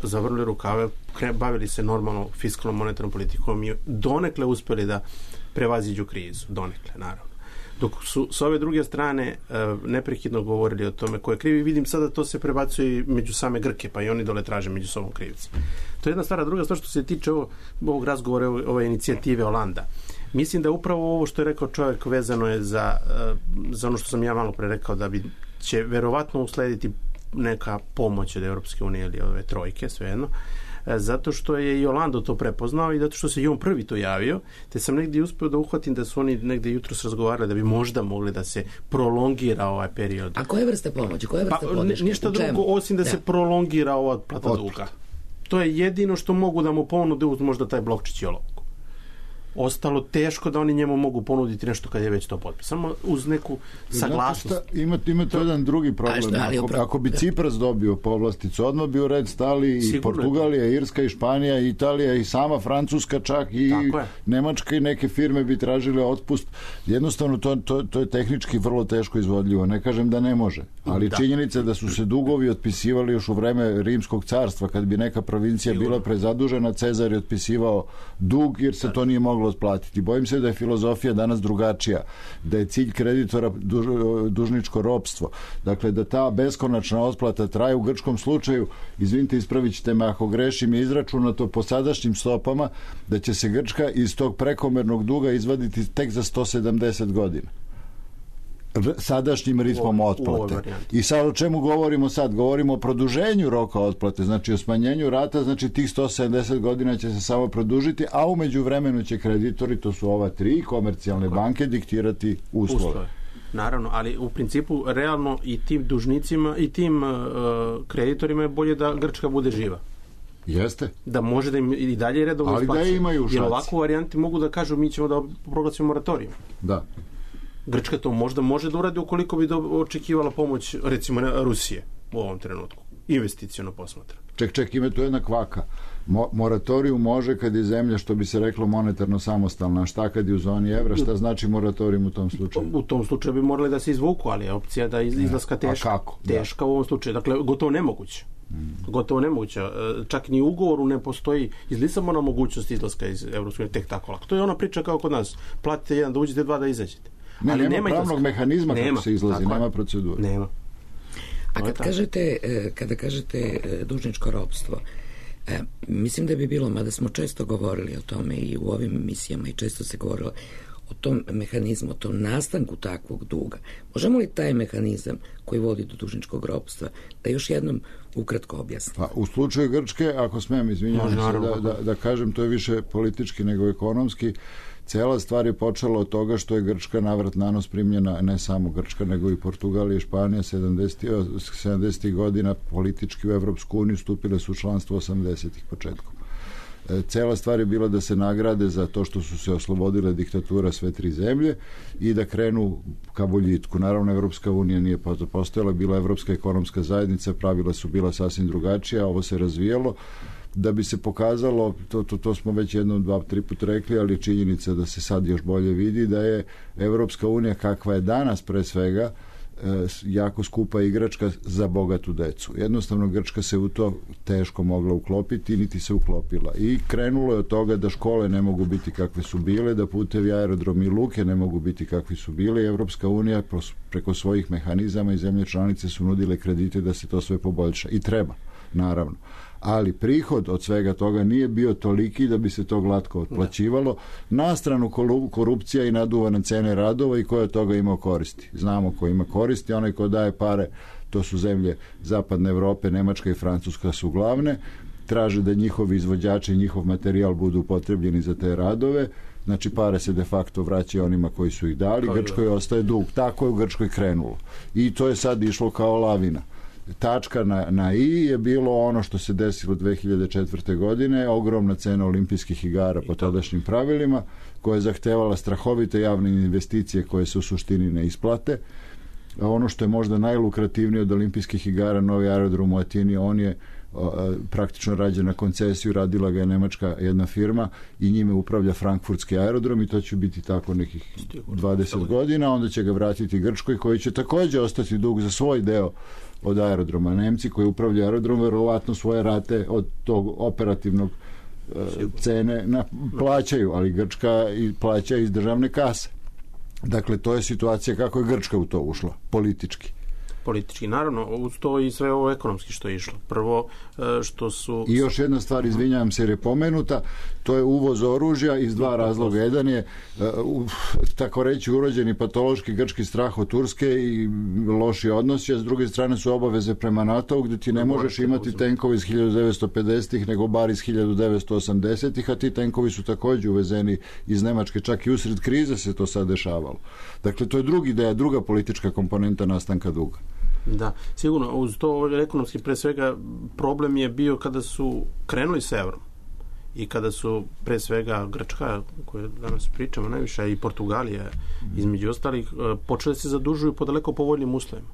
zavrli rukave, bavili se normalno fiskalnom monetarnom politikom i donekle uspjeli da prevaziđu krizu. Donekle, naravno. Dok su s ove druge strane neprekidno govorili o tome ko je kriv i vidim sada to se prebacuje i među same Grke, pa i oni dole traže među sobom krivci. To je jedna stvar. Druga stvar što se tiče ovog razgovora, ove inicijative Olanda. Mislim da upravo ovo što je rekao čovjek vezano je za ono što sam ja malo pre rekao, da će verovatno uslediti neka pomoć od Europske unije ili ove trojke, svejedno, zato što je i Orlando to prepoznao i zato što se i on prvi to javio, te sam negdje uspio da uhvatim da su oni negdje jutros razgovarali da bi možda mogli da se prolongira ovaj period. A koje vrste pomoći? Koje vrste podrške? Ništa drugo osim da se prolongira ova otplata duga. To je jedino što mogu da mu ponude uz možda taj blokčić i olovku. Ostalo teško da oni njemu mogu ponuditi nešto kad je već to potpisano uz neku saglasnost. Ima to jedan drugi problem. Ako bi Cipras dobio povlasticu, odmah bi u red stali i Portugalija, Irska i Španija, i Italija i sama Francuska čak i Nemačka i neke firme bi tražile otpust. Jednostavno to je tehnički vrlo teško izvodljivo. Ne kažem da ne može, ali činjenica da su se dugovi otpisivali još u vreme Rimskog carstva, kad bi neka provincija bila prezadužena, Cezar je otpisivao dug jer se to nije moglo otplatiti. Bojim se da je filozofija danas drugačija, da je cilj kreditora dužničko ropstvo. Dakle, da ta beskonačna otplata traje. U grčkom slučaju, izvinite, ispravit ćete me ako grešim, je izračunato po sadašnjim stopama da će se Grčka iz tog prekomernog duga izvaditi tek za 170 godina. Sadašnjim ritmom otplate. I sad o čemu govorimo sad? Govorimo o produženju roka otplate, znači o smanjenju rata, znači tih 170 godina će se samo produžiti, a u međuvremenu će kreditori, to su ova tri komercijalne banke, diktirati uslove. Naravno, ali u principu realno i tim dužnicima i tim kreditorima je bolje da Grčka bude živa. Jeste. Da može da im i dalje redovno isplaćuje. Ali da imaju šanse. Jer ovakvu varijanti mogu da kažu mi ćemo da proglasimo moratorijum. Da. Grčka to možda može da uradi ukoliko bi očekivala pomoć recimo Rusije u ovom trenutku. Investiciono posmatra. Ček, ima tu jedna kvaka. Moratorijum može kad je zemlja, što bi se reklo, monetarno samostalna. Šta kad je u zoni evra? Šta znači moratorijum u tom slučaju? U tom slučaju bi morali da se izvuku, ali je opcija da izlaska teška. A kako? Teška u ovom slučaju. Dakle, gotovo nemoguće. Gotovo nemoguće. Čak ni u ugovoru ne postoji iz Lisabona mogućnost izlaska iz Evropske unije tek tako lako. To je ona priča kao kod nas. Platite jedan da uđete, dva da izađete. Ali nema pravnog mehanizma kako se izlazi, nema procedure. Nema. A kada kažete dužničko ropstvo, mislim da bi bilo, mada smo često govorili o tome i u ovim emisijama i često se govorilo o tom mehanizmu, o tom nastanku takvog duga. Možemo li taj mehanizam koji vodi do dužničkog ropstva da još jednom ukratko objasnimo? Pa, u slučaju Grčke, ako smijem, izvinjavam se da kažem, to je više politički nego ekonomski. Cela stvar je počela od toga što je Grčka navrat nanos primljena, ne samo Grčka, nego i Portugalija i Španija 70. godina politički u Evropsku uniju, stupile su u članstvo 80-ih početkom. Cela stvar je bila da se nagrade za to što su se oslobodile diktatura sve tri zemlje i da krenu ka boljitku. Naravno, Evropska unija nije postojala, bila Evropska ekonomska zajednica, pravila su bila sasvim drugačija, ovo se razvijalo. Da bi se pokazalo, to smo već jednom, 2-3 put rekli, ali činjenica da se sad još bolje vidi, da je Evropska unija kakva je danas pre svega jako skupa igračka za bogatu decu. Jednostavno Grčka se u to teško mogla uklopiti, niti se uklopila. I krenulo je od toga da škole ne mogu biti kakve su bile, da putevi, aerodromi i luke ne mogu biti kakvi su bile. Evropska unija preko svojih mehanizama i zemlje članice su nudile kredite da se to sve poboljša. I treba, naravno. Ali prihod od svega toga nije bio toliki da bi se to glatko otplaćivalo. Na stranu korupcija i naduvane cene radova i ko je od toga imao koristi. Znamo ko ima koristi, onaj ko daje pare, to su zemlje zapadne Evrope, Nemačka i Francuska su glavne, traže da njihovi izvođači i njihov materijal budu upotrebljeni za te radove, znači pare se de facto vraćaju onima koji su ih dali, Grčkoj ostaje dug. Tako je u Grčkoj krenulo. I to je sad išlo kao lavina. Tačka na i je bilo ono što se desilo 2004. godine, ogromna cena olimpijskih igara po tadašnjim pravilima, koja je zahtevala strahovite javne investicije koje se u suštini ne isplate. A ono što je možda najlukrativnije od olimpijskih igara, novi aerodrom u Atini, on je praktično rađen na koncesiju, radila ga je nemačka jedna firma i njime upravlja frankfurtski aerodrom i to će biti tako nekih 20 godina, onda će ga vratiti Grčkoj koji će također ostati dug za svoj deo od aerodroma. Nemci koji upravljaju aerodrom verovatno svoje rate od tog operativnog cene plaćaju, ali Grčka plaća iz državne kase. Dakle, to je situacija kako je Grčka u to ušla, politički. Naravno, uz to i sve ovo ekonomski što je išlo. Prvo, što su... I još jedna stvar, izvinjavam se jer je pomenuta, to je uvoz oružja iz dva razloga. Jedan je, tako reći, urođeni patološki grčki strah od Turske i loši odnosi, a s druge strane su obaveze prema NATO-u gdje ti ne možeš imati tenkovi iz 1950-ih, nego bar iz 1980-ih, a ti tenkovi su također uvezeni iz Nemačke, čak i usred krize se to sad dešavalo. Dakle, to je druga politička komponenta nastanka duga. Da, sigurno, uz to ekonomski pre svega problem je bio kada su krenuli s evrom i kada su pre svega Grčka, koje danas pričamo najviše, i Portugalija između ostalih, počeli se zadužuju po daleko povoljnim uslovima.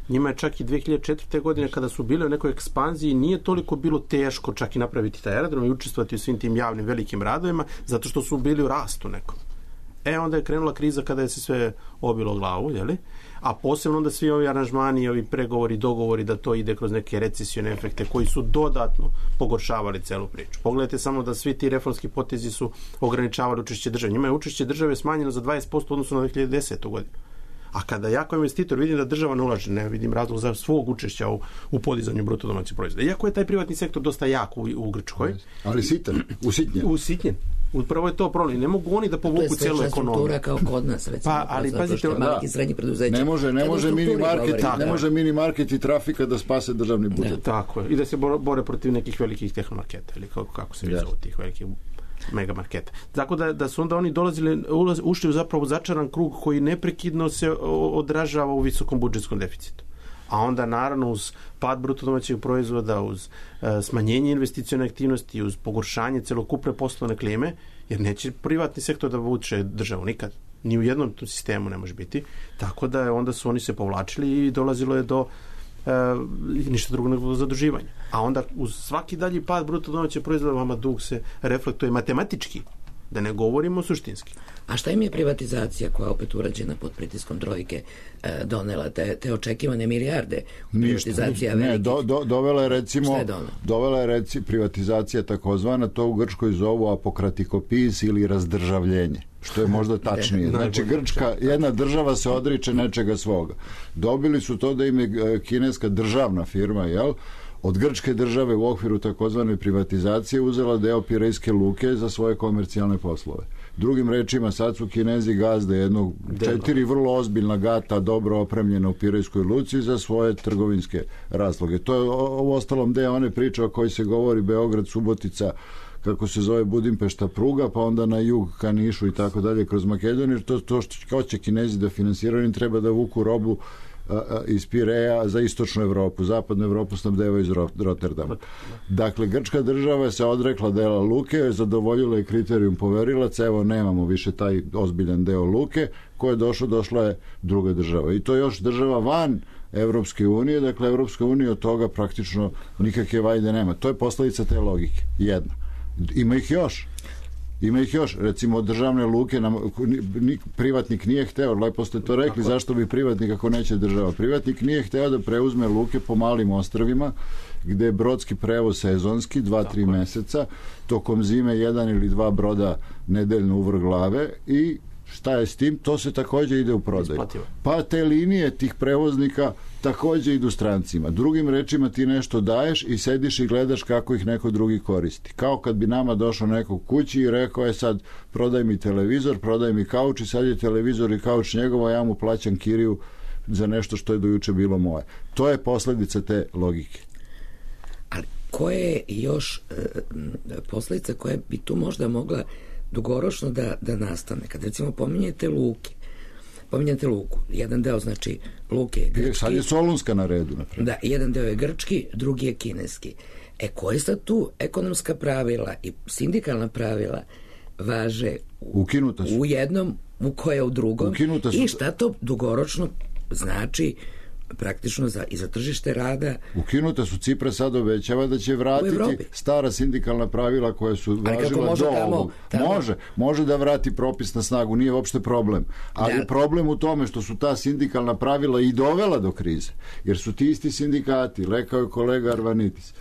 Njima je čak i 2004. godine kada su bile u nekoj ekspanziji nije toliko bilo teško čak i napraviti taj aerodrom i učestvovati u svim tim javnim velikim radovima zato što su bili u rastu nekom. Onda je krenula kriza kada je se sve obilo glavu, jeli? A posebno onda svi ovi aranžmani, ovi pregovori, dogovori da to ide kroz neke recesione efekte koji su dodatno pogoršavali celu priču. Pogledajte samo da svi ti reformski potezi su ograničavali učešće države. Njima je učešće države smanjeno za 20% odnosno na 2010. godinu. A kada ja kao investitor vidim da država ne ulaže, ne vidim razlog za svog učešća u podizanju bruto domaćeg proizvoda. Iako je taj privatni sektor dosta jak u Grčkoj. Ali usitnjen. Upravo je to problem. Ne mogu oni da povuku cijelu ekonomiju. To je slična struktura kao kod nas, recimo. Ali pazite, maliki i srednji preduzeća. Ne može mini market i trafika da spase državni budžet. Tako je. I da se bore protiv nekih velikih tehnomarketa ili kako se zovu tih velikih megamarketa. Tako da su onda oni ušli u zapravo začaran krug koji neprekidno se odražava u visokom budžetskom deficitu. A onda naravno uz pad bruto domaćeg proizvoda, uz smanjenje investicione aktivnosti, uz pogoršanje celokupne poslovne klime, jer neće privatni sektor da vuče državu nikad. Ni u jednom sistemu ne može biti. Tako da onda su oni se povlačili i dolazilo je do ništa drugo nego zaduživanja. A onda uz svaki dalji pad bruto domaćeg proizvoda vama dug se reflektuje matematički, da ne govorimo suštinski. A šta im je privatizacija koja je opet urađena pod pritiskom trojke donela te očekivane milijarde? Privatizacija dovela je recimo privatizacija takozvana, to u Grčkoj zovu apokratikopiz ili razdržavljenje, što je možda tačnije. Znači jedna država se odriče nečega svoga. Dobili su to da im je kineska državna firma, od grčke države u okviru takozvane privatizacije uzela deo Pirejske luke za svoje komercijalne poslove. Drugim rečima, sad su Kinezi gazde jednog 4 vrlo ozbiljna gata dobro opremljena u Pirejskoj luci za svoje trgovinske razloge. To je u ostalom deo one priče o kojoj se govori Beograd, Subotica, kako se zove Budimpešta pruga, pa onda na jug ka Nišu i tako dalje kroz Makedoniju, jer to što hoće Kinezi da finansiraju, im treba da vuku robu iz Pireja za istočnu Evropu. Zapadnu Evropu snabdevaju iz Rotterdama. Dakle, grčka država se odrekla dela luke, zadovoljila je kriterijum poverilaca, evo nemamo više taj ozbiljan deo luke, ko je došla je druga država. I to je još država van Evropske unije, dakle Evropska unija od toga praktično nikakve vajde nema. To je posledica te logike, jedna. Ima ih još, recimo državne luke privatnik nije hteo, lepo ste to rekli, zašto bi privatnik ako neće država? Privatnik nije hteo da preuzme luke po malim ostrvima gde je brodski prevoz sezonski 2-3 meseca, tokom zime 1 ili 2 broda nedeljno u vrh glave i šta je s tim? To se takođe ide u prodaju. Pa te linije tih prevoznika takođe idu strancima. Drugim rečima, ti nešto daješ i sediš i gledaš kako ih neko drugi koristi. Kao kad bi nama došao neko kući i rekao je sad prodaj mi televizor, prodaj mi kauč i sad je televizor i kauč njegovo, ja mu plaćam kiriju za nešto što je do juče bilo moje. To je posledica te logike. Ali koje je još posledica koja bi tu možda mogla dugoročno da nastane? Kad recimo pominjete luku, jedan deo znači luke je grčki. Sad je Solunska na redu. Naprijed. Da, jedan deo je grčki, drugi je kineski. Koje sad tu ekonomska pravila i sindikalna pravila važe u jednom, u koje u drugom i šta to dugoročno znači praktično i za tržište rada. Ukinuta su, Cipras sad obećava da će vratiti stara sindikalna pravila koja su važila do ovog. Može da vrati propis na snagu, nije uopšte problem. Ali problem u tome što su ta sindikalna pravila i dovela do krize. Jer su ti isti sindikati, rekao je kolega Arvanitis,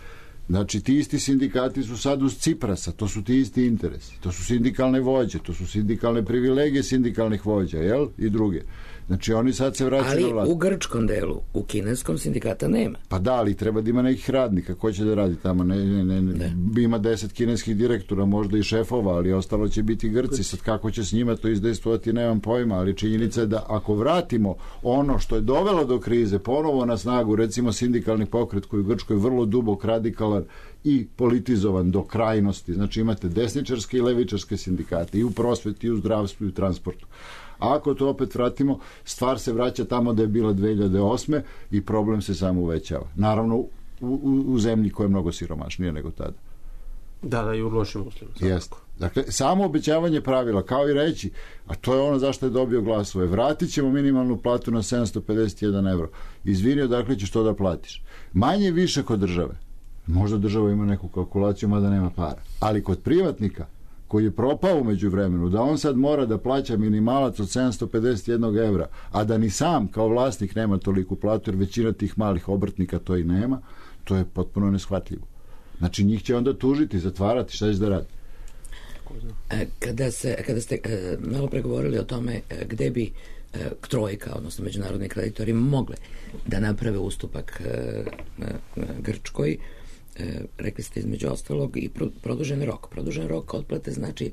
znači ti isti sindikati su sad uz Ciprasa, to su ti isti interesi, to su sindikalne vođe, to su sindikalne privilegije sindikalnih vođa, jel? I druge. Znači oni sad se vraćaju na vlast. Ali u grčkom delu, u kineskom sindikata nema. Pa da, ali treba da ima nekih radnika. Ko će da radi tamo? Ne. Ima 10 kineskih direktora, možda i šefova, ali ostalo će biti Grci. Sad kako će s njima to izdejstvovati, nemam pojma, ali činjenica je da ako vratimo ono što je dovelo do krize ponovo na snagu, recimo sindikalni pokret koji u Grčkoj je vrlo dubok, radikalan i politizovan do krajnosti. Znači imate desničarske i levičarske sindikate i u prosveti, i u zdravstvu, i u transportu. A ako to opet vratimo, stvar se vraća tamo da je bila 2008. i problem se samo uvećava. Naravno, u zemlji koja je mnogo siromašnija nego tada. Da, i u lošim uslovima. Jeste. Dakle, samo obećavanje pravila, kao i reći, a to je ono zašto je dobio glasove, vratit ćemo minimalnu platu na 751 evro. Izvini, odakle ćeš to da platiš. Manje više kod države. Možda država ima neku kalkulaciju, mada nema para. Ali kod privatnika, koji je propao umeđu vremenu, da on sad mora da plaća minimalac od 751 evra, a da ni sam kao vlasnik nema toliku platu, jer većina tih malih obrtnika to i nema, to je potpuno neshvatljivo. Znači njih će onda tužiti, zatvarati, šta će da radi? Kada ste malo pregovorili o tome gde bi trojka, odnosno međunarodni kreditori mogle da naprave ustupak Grčkoj, rekli ste između ostalog i produžen rok otplate znači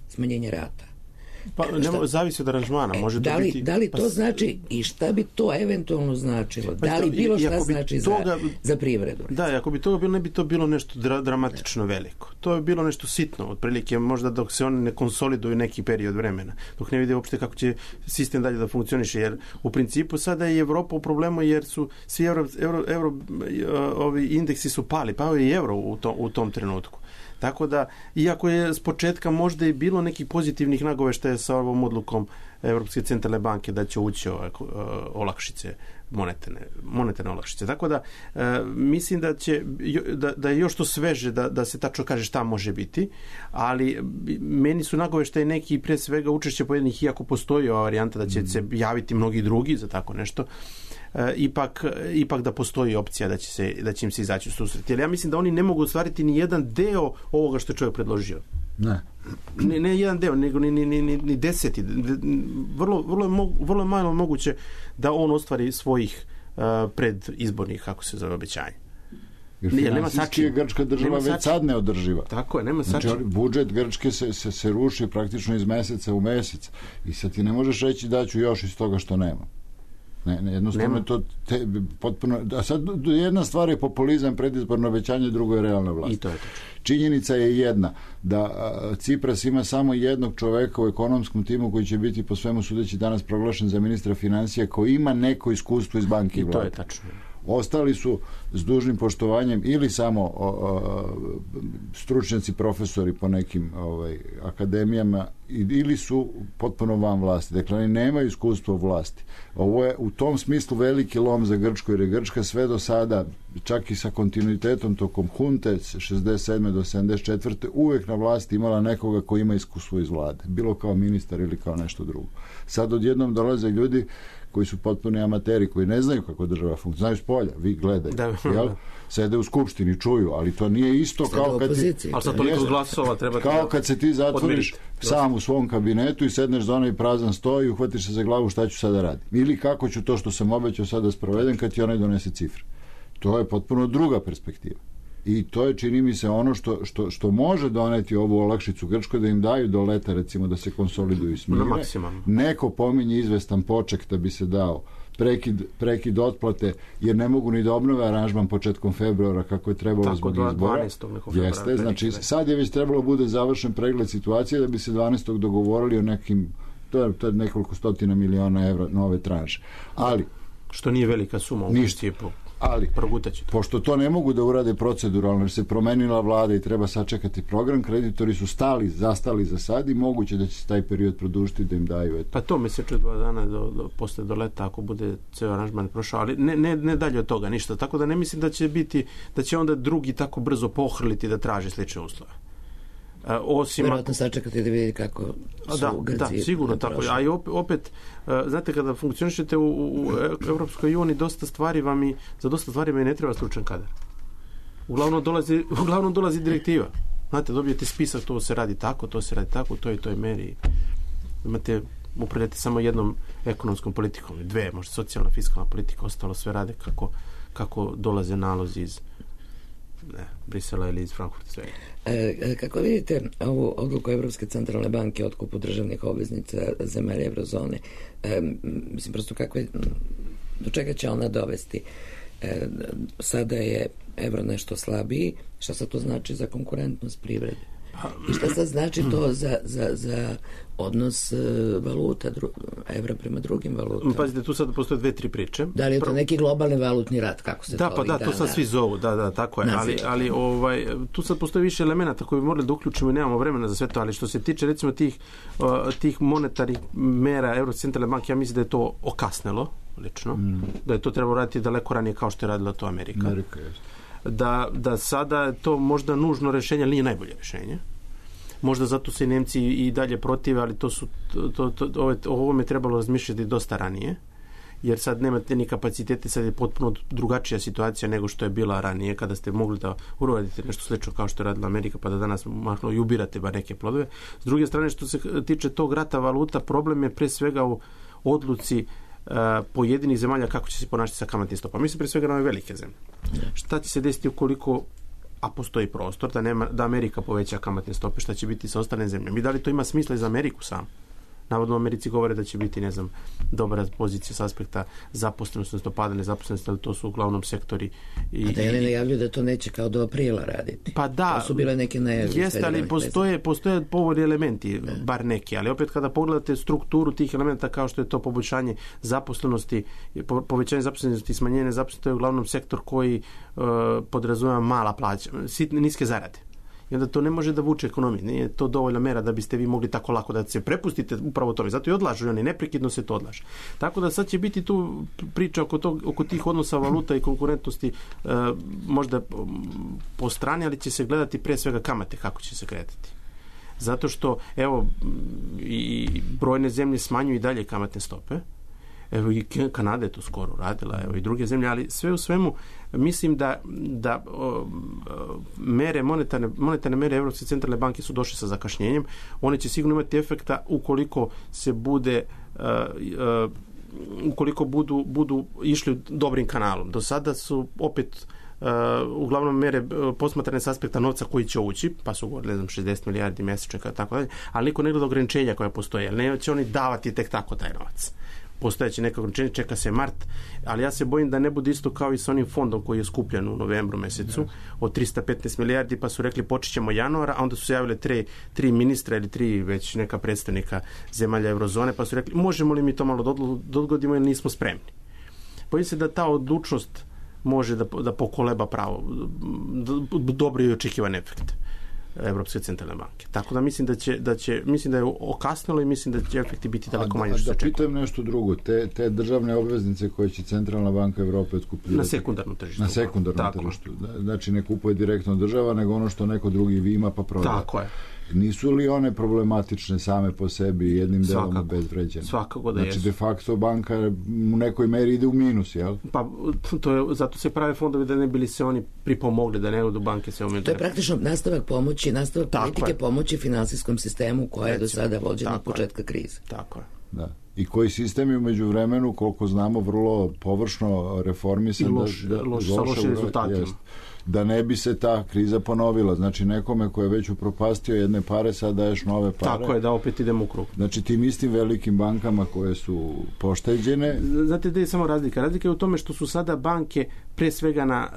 smanjenje rata. Pa zavisi od aranžmana, može to biti. Da li to znači i šta bi to eventualno značilo? Da li bilo šta znači za privredu? Da, ako bi toga bilo, ne bi to bilo nešto dramatično veliko. To je bilo nešto sitno, otprilike možda dok se oni ne konsoliduju neki period vremena, dok ne vide uopšte kako će sistem dalje da funkcioniše, jer u principu sada je Evropa u problemu jer su svi ovi indeksi su pali, pao je i euro u tom trenutku. Tako da, iako je s početka možda i bilo nekih pozitivnih nagoveštaja sa ovom odlukom Evropske centralne banke da će ući olakšice, monetarne olakšice. Tako da, mislim da je još to sveže da se tačno kaže šta može biti, ali meni su nagoveštaje neki pre svega učešće pojedinih, iako postoji ova varijanta da će se javiti mnogi drugi za tako nešto, ipak da postoji opcija da će im se izaći u susret. Jer ja mislim da oni ne mogu ostvariti ni jedan deo ovoga što je čovjek predložio. Ne jedan deo, nego ni deseti. Vrlo je malo moguće da on ostvari svojih predizbornih, kako se zove, obećanja. Jer finansijski je grčka država već sad neodrživa. Tako je, nema znači, budžet Grčke se ruši praktično iz meseca u mesec i sad ti ne možeš reći da ću još iz toga što nema. Jednostavno to potpuno... A sad jedna stvar je populizam, predizborno obećanje, drugo je realna vlast. I to je to. Činjenica je jedna, da Cipras ima samo jednog čoveka u ekonomskom timu koji će biti po svemu sudeći danas proglašen za ministra financija, koji ima neko iskustvo iz banke i vlade. To je tačno. Ostali su s dužnim poštovanjem ili samo stručnjaci, profesori po nekim akademijama, ili su potpuno van vlasti. Dakle, oni nemaju iskustvo u vlasti. Ovo je u tom smislu veliki lom za Grčku, jer je Grčka sve do sada, čak i sa kontinuitetom tokom hunte 67. do 74. uvek na vlasti imala nekoga koji ima iskustvo iz vlade. Bilo kao ministar ili kao nešto drugo. Sad odjednom dolaze ljudi koji su potpuni amateri, koji ne znaju kako država funkcionira. Znaju s polja, vi gledajte. Sede u skupštini, čuju, ali to nije isto kao kad ti... Ali sad toliko glasova treba... Kao kad se ti zatvoriš sam u svom kabinetu i sedneš za onaj prazan sto i uhvatiš se za glavu šta ću sada raditi. Ili kako ću to što sam obećao sada sprovedem kad ti onaj donese cifre. To je potpuno druga perspektiva. I to je, čini mi se, ono što može doneti ovu olakšicu Grčkoj, da im daju do leta, recimo, da se konsoliduju i smire. Neko pominje izvestan poček da bi se dao prekid otplate, jer ne mogu ni da obnove aranžman početkom februara kako je trebalo zbog izbora. Jeste, znači sad je već trebalo bude završen pregled situacije da bi se 12. dogovorili o nekim, to je nekoliko stotina miliona evra nove tranše. Ali što nije velika suma u principu. Ali, pošto to ne mogu da urade proceduralno, jer se promenila vlada i treba sačekati program, kreditori su zastali za sad i moguće da će se taj period produžiti da im daju. Pa to mesec 2 dana posle do leta, ako bude ceo aranžman prošao, ali ne dalje od toga ništa. Tako da ne mislim da će onda drugi tako brzo pohrliti da traže slične uslove. Vjerojatno sačekati da vidi kako su Grci. Da, sigurno tako. A i opet, znate, kada funkcionišete u Evropskoj uniji, za dosta stvari vam i ne treba stručan kadar. Uglavnom dolazi direktiva. Znate, dobijete spisak, to se radi tako, to i toj meri. Upravljate samo jednom ekonomskom politikom, dve, možda socijalna, fiskalna politika, ostalo sve rade kako dolaze nalozi iz Brisela ili iz Frankfurta, sve. Kako vidite ovu odluku Evropske centralne banke o otkupu državnih obveznica zemalja eurozone? Mislim, prosto do čega će ona dovesti? Sada je evro nešto slabiji. Šta sad to znači za konkurentnost privrede? I šta sad znači to za odnos valuta evra prema drugim valutama? Pazite, tu sad postoje 2-3 priče. Da li je to neki globalni valutni rat, kako se to ovih dana? To sad svi zovu, tako je. Ali tu sad postoje više elemenata koje bi morali da uključimo i nemamo vremena za sve to, ali što se tiče recimo tih monetarnih mera Evropske centralne banke, ja mislim da je to okasnelo, lično. Da je to trebalo raditi daleko ranije kao što je radila to Amerika. Da sada to možda nužno rešenje, ali nije najbolje rešenje. Možda zato se Nemci i dalje protive, ali o ovome trebalo razmišljati dosta ranije, jer sad nemate ni kapacitete, sad je potpuno drugačija situacija nego što je bila ranije, kada ste mogli da uradite nešto slično kao što je radila Amerika, pa da danas mahno i ubirate bar neke plodove. S druge strane, što se tiče tog rata valuta, problem je pre svega u odluci pojedinih zemalja kako će se ponašati sa kamatnim stopama. Mislim pre svega na ove velike zemlje. Šta će se desiti ukoliko, a postoji prostor, da Amerika poveća kamatne stope, šta će biti sa ostalim zemljama? I da li to ima smisla i za Ameriku sam? Navodno u Americi govore da će biti, dobra pozicija s aspekta zaposlenosti, odnosno pada nezaposlenosti, ali to su uglavnom sektori. A da oni najavljuju da to neće kao do aprila raditi. Pa da. To su bile neke najavlje. Jeste, ali postoje povoljni elementi, bar neki, ali opet kada pogledate strukturu tih elementa kao što je to poboljšanje zaposlenosti, povećanje zaposlenosti i smanjenje nezaposlenosti, to je uglavnom sektor koji podrazumeva mala plaća, niske zarade. I onda to ne može da vuče ekonomiju. Nije to dovoljna mera da biste vi mogli tako lako da se prepustite upravo tome. Zato i odlažu oni, neprekidno se to odlaže. Tako da sad će biti tu priča oko tih odnosa valuta i konkurentnosti možda po strani, ali će se gledati pre svega kamate kako će se kretati. Zato što, i brojne zemlje smanjuju i dalje kamatne stope. I Kanada je to skoro radila, i druge zemlje, ali sve u svemu mislim da mere, monetarne mere Evropske centralne banke su došle sa zakašnjenjem. One će sigurno imati efekta ukoliko se ukoliko budu išli dobrim kanalom. Do sada su opet uglavnom mere posmatrane s aspekta novca koji će ući, pa su govorili 60 milijardi mesečno, tako dalje, ali niko ne gleda ograničenja koja postoje, ali neće oni davati tek tako taj novac. postojeće neko ograničenje, čeka se mart, ali ja se bojim da ne bude isto kao i sa onim fondom koji je skupljen u novembru mesecu od 315 milijardi, pa su rekli počet ćemo januara, a onda su se javile tri ministra ili 3 već neka predstavnika zemalja eurozone, pa su rekli možemo li mi to malo odgodimo jer nismo spremni. Bojim se da ta odlučnost može da pokoleba pravo dobro i očekivan efekt Evropske centralne banke. Tako da mislim da je okasnilo i mislim da će efekti biti daleko manje što se očekuje. Da pitam nešto drugo. Te državne obveznice koje će Centralna banka Evrope otkupljivati... Na sekundarnom tržištu. Na sekundarnom tržištu. Znači ne kupuje direktno država, nego ono što neko drugi ima pa prodaje. Tako je. Nisu li one problematične same po sebi jednim delom obezvređene? Svakako da jesu. Znači de facto banka u nekoj meri ide u minus, jel? Pa zato se prave fondovi da ne bili se oni pripomogli, da ne odu banke se umjeđu. To je praktično nastavak politike pomoći finansijskom sistemu koja je do sada vođena od početka krize. Tako je. Da. I koji sistem je u međuvremenu, koliko znamo, vrlo površno reformisan. I sa lošim rezultatima. Da ne bi se ta kriza ponovila. Znači nekome ko je već upropastio jedne pare, sad daješ nove pare. Tako je, da opet idemo u krug. Znači tim istim velikim bankama koje su pošteđene. Znate da je samo razlika? Razlika je u tome što su sada banke pre svega na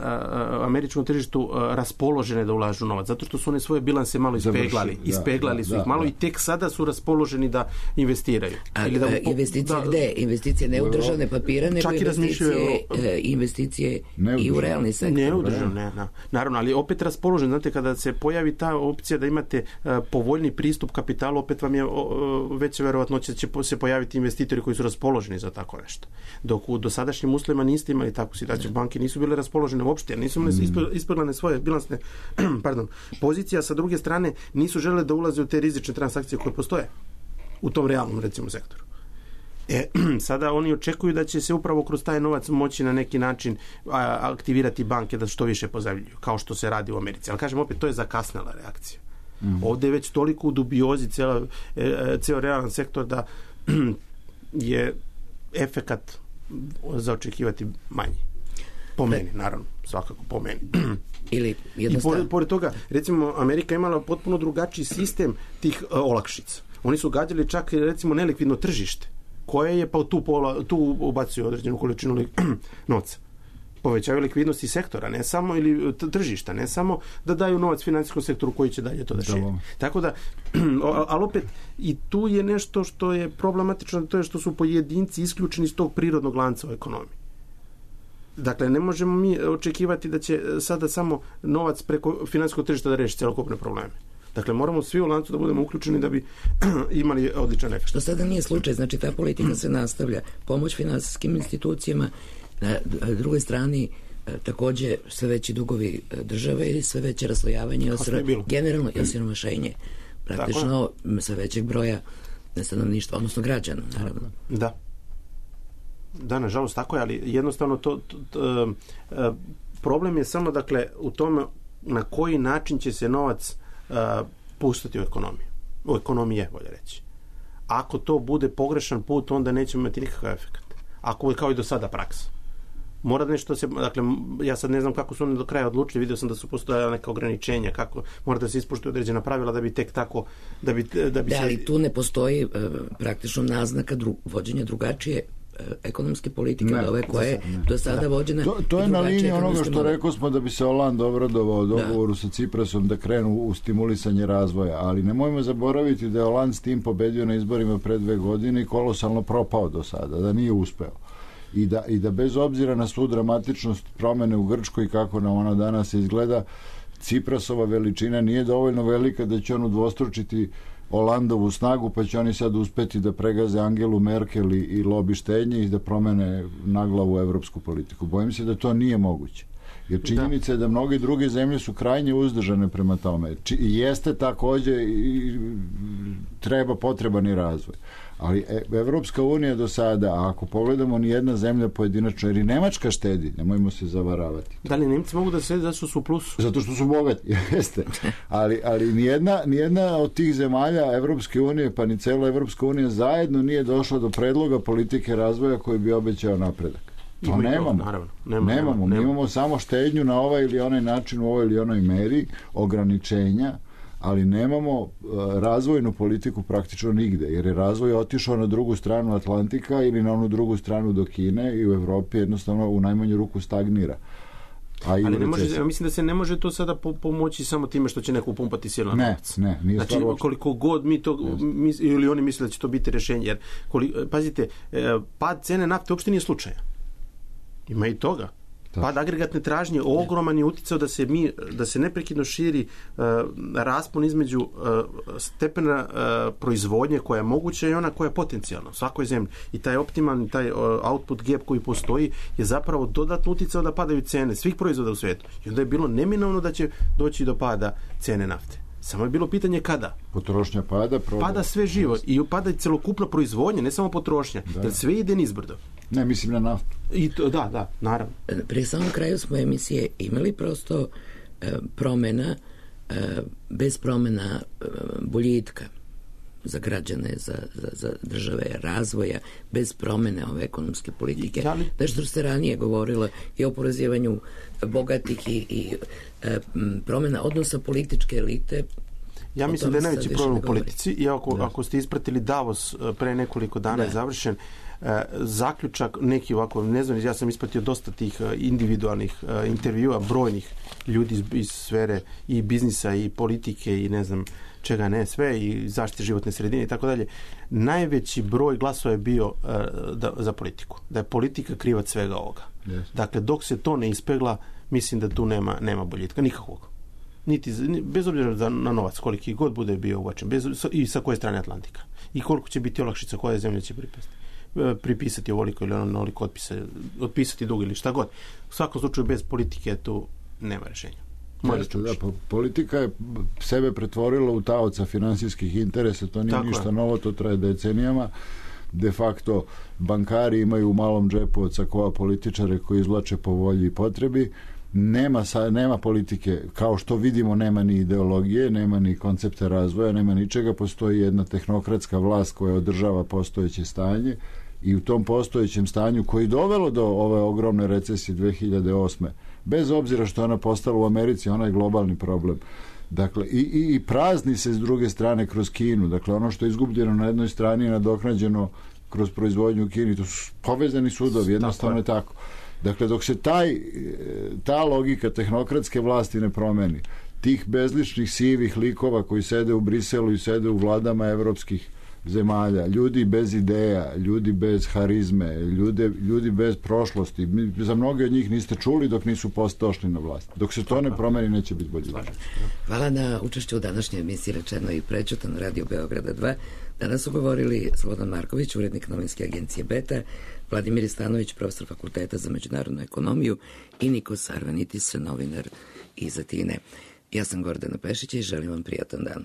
američkom tržištu raspoložene da ulažu novac, zato što su one svoje bilanse malo ispeglali su ih malo i tek sada su raspoloženi da investiraju. Investicije gde? Investicije ne u državne papire, nego investicije i u realni sektor. Ne u državne, naravno, ali opet raspoložen. Znate, kada se pojavi ta opcija da imate povoljni pristup kapitalu, opet vam je veća verovatnoća da će se pojaviti investitori koji su raspoloženi za tako nešto. Dok u dosadašnjim uslovima niste imali takvu situaciju, banke nisu bile raspoložene uopšte, jer nisu ispeglane svoje bilansne pozicije, a sa druge strane nisu želele da ulaze u te rizične transakcije koje postoje u tom realnom, recimo, sektoru. Sada oni očekuju da će se upravo kroz taj novac moći na neki način aktivirati banke da što više pozajmljuju, kao što se radi u Americi. Ali kažem opet, to je zakasnela reakcija. Ovdje je već toliko u dubiozi ceo realan sektor da je efekat za očekivati manji. Po meni, naravno, svakako po meni. Ili jednostavno. I pored toga, recimo, Amerika imala potpuno drugačiji sistem tih olakšica. Oni su gađali čak, recimo, nelikvidno tržište, koje je pa tu ubacio određenu količinu novca. Povećavaju likvidnosti sektora, ne samo, ili tržišta, ne samo da daju novac financijskom sektoru koji će dalje to da širi. Tako da, ali opet, i tu je nešto što je problematično, to je što su pojedinci isključeni iz tog prirodnog lanca u ekonomiji. Dakle, ne možemo mi očekivati da će sada samo novac preko financijskog tržišta da reši celokupne probleme. Dakle, moramo svi u lancu da budemo uključeni da bi imali odličan efekt. Što sada nije slučaj, znači ta politika se nastavlja. Pomoć finansijskim institucijama, na drugoj strani također sve veći dugovi države i sve veće raslojavanje, generalno i osiromašenje praktično sve većeg broja stanovništva, odnosno građana, naravno. Da, nažalost tako je, ali jednostavno problem je samo, dakle, u tome na koji način će se novac pustiti u ekonomiju. U ekonomije, bolje reći. Ako to bude pogrešan put, onda nećemo imati nikakav efekt. Ako je kao i do sada praksa. Mora nešto se, dakle, ja sad ne znam kako su oni do kraja odlučili, vidio sam da su postojala neka ograničenja, kako mora da se ispoštuju određena pravila da bi tek tako, da bi ali tu ne postoji praktično naznaka vođenja drugačije ekonomske politike od ove koje je do sada vođena. To je na liniji onoga što rekao smo da bi se Hollande obradovao dogovoru sa Ciprasom da krenu u stimulisanje razvoja, ali nemojmo zaboraviti da je Hollande s tim pobedio na izborima pre 2 godine i kolosalno propao do sada, da nije uspeo. I da bez obzira na svu dramatičnost promene u Grčkoj i kako nam ona danas izgleda, Ciprasova veličina nije dovoljno velika da će on udvostručiti Hollandovu snagu, pa će oni sad uspeti da pregaze Angelu Merkel i lobi štednje i da promene naglavu evropsku politiku. Bojim se da to nije moguće. Jer činjenica je da mnoge druge zemlje su krajnje uzdržane prema tome. Jeste također i potreban i razvoj. Ali Evropska unija do sada, ako pogledamo nijedna zemlja pojedinačno, jer i Nemačka štedi, nemojmo se zavaravati. Da li Nemci mogu da štedi zato što su u plusu? Zato što su bogati, jeste. Ali nijedna od tih zemalja Evropske unije, pa ni cela Evropska unija zajedno nije došla do predloga politike razvoja koji bi obećao napredak. To nemamo. Mi imamo samo štednju na ovaj ili onaj način, u ovoj ili onoj meri, ograničenja, ali nemamo razvojnu politiku praktično nigde, jer je razvoj otišao na drugu stranu Atlantika ili na onu drugu stranu do Kine i u Evropi jednostavno u najmanju ruku stagnira. Ali ne može, mislim da se ne može to sada pomoći samo time što će neko upumpati silno novac. Ne, nije znači, koliko god mi to ili oni misle da će to biti rješenje, jer pazite, pad cene nafte uopšte nije slučajan. Ima i toga. Pad agregatne tražnje ogroman je uticao da se neprekidno širi raspon između stepena proizvodnje koja je moguća i ona koja je potencijalna u svakoj zemlji. I taj optimalni, taj output gap koji postoji je zapravo dodatno uticao da padaju cene svih proizvoda u svijetu. I onda je bilo neminovno da će doći do pada cene nafte. Samo je bilo pitanje kada. Potrošnja pada sve živo i pada celokupna proizvodnja, ne samo potrošnja. Jer sve ide nizbrdo. Ne, mislim na naftu. I to, da, naravno. Pri samom kraju smo emisije imali prosto promjena, bez promjena boljitka za građane, za države, razvoja, bez promjene ove ekonomske politike. Da što ste ranije govorila i o oporezivanju bogatih i promjena odnosa političke elite. Ja mislim da je najveći problem u politici i ako ste ispratili Davos pre nekoliko dana je završen, zaključak neki ovako, ne znam, ja sam ispratio dosta tih individualnih intervjua brojnih ljudi iz sfere i biznisa i politike i ne znam čega ne, sve i zaštite životne sredine i tako dalje. Najveći broj glasova je bio za politiku. Da je politika krivac svega ovoga. Yes. Dakle, dok se to ne ispegla, mislim da tu nema boljitka, nikakvog. Bez obzira na novac, koliki god bude bio uvačen, i sa koje strane Atlantika. I koliko će biti olakšica, koja zemlja će pripisati ovoliko ili onoliko otpisati dug ili šta god. U svakom slučaju bez politike tu nema rješenja. Politika je sebe pretvorila u taoca finansijskih interesa, to nije ništa novo, to traje decenijama. De facto bankari imaju u malom džepu od sakoa političare koji izvlače po volji i potrebi. Nema politike, kao što vidimo, nema ni ideologije, nema ni koncepta razvoja, nema ničega, postoji jedna tehnokratska vlast koja održava postojeće stanje i u tom postojećem stanju koji dovelo do ove ogromne recesije 2008. Bez obzira što ona postala u Americi, ona je globalni problem. Dakle, i prazni se s druge strane kroz Kinu. Dakle, ono što je izgubljeno na jednoj strani je nadoknađeno kroz proizvodnju u Kini. To su povezani sudovi, jednostavno je tako. Dakle, dok se ta logika tehnokratske vlasti ne promeni, tih bezličnih sivih likova koji sede u Briselu i sede u vladama evropskih zemalja, ljudi bez ideja, ljudi bez harizme, ljudi bez prošlosti, za mnoge od njih niste čuli dok nisu došli na vlast. Dok se to ne promeni, neće biti bolje. Hvala na učešću u današnjoj emisiji Rečeno i prečuto na Radio Beograda 2. Danas su govorili Slobodan Marković, urednik novinske agencije Beta, Vladimir Stanović, profesor Fakulteta za međunarodnu ekonomiju i Nikos Arvanitis, novinar iz Atine. Ja sam Gordana Pešić i želim vam prijatan dan.